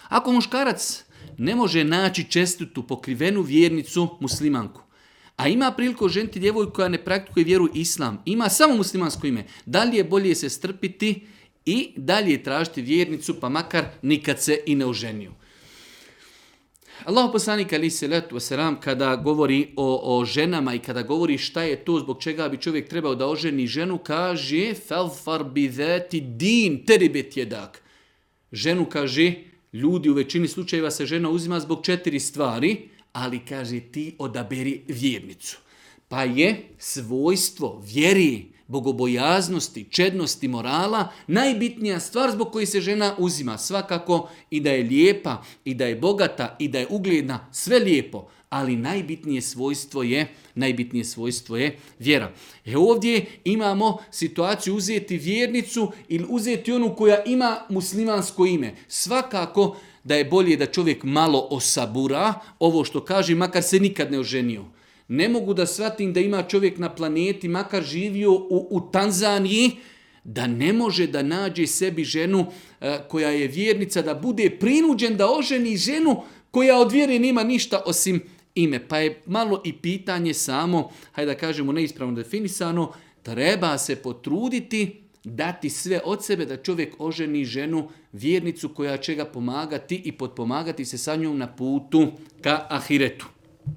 Ako muškarac ne može naći čestitu, pokrivenu vjernicu, muslimanku, a ima priliku oženiti djevojku koja ne praktikuje vjeru islam, ima samo muslimansko ime, da li je bolje se strpiti i dalje tražiti vjernicu, pa makar nikad se i ne oženio. Allahu poslanik alejhi selatu vesselam kada govori o ženama i kada govori šta je to zbog čega bi čovjek trebao da oženi ženu, kaže falfar bi zati din teribet jedak. Ženu, kaže, ljudi u većini slučajeva se žena uzima zbog 4 stvari, ali kaže ti odaberi vjernicu. Pa je svojstvo vjeri, bogobojaznosti, čednosti, morala najbitnija stvar zbog koje se žena uzima. Svakako i da je lijepa, i da je bogata, i da je ugledna, sve lijepo, ali najbitnije svojstvo je vjera. Ovdje imamo situaciju uzeti vjernicu ili uzeti onu koja ima muslimansko ime. Svakako da je bolje da čovjek malo osabura, ovo što kaže, makar se nikad ne oženio. Ne mogu da shvatim da ima čovjek na planeti, makar živio u Tanzaniji, da ne može da nađe sebi ženu koja je vjernica, da bude prinuđen da oženi ženu koja od vjere nema ništa osim ime. Pa je malo i pitanje samo, hajde da kažemo neispravno definisano, treba se potruditi, dati sve od sebe da čovjek oženi ženu, vjernicu koja će ga pomagati i potpomagati se sa njom na putu ka ahiretu.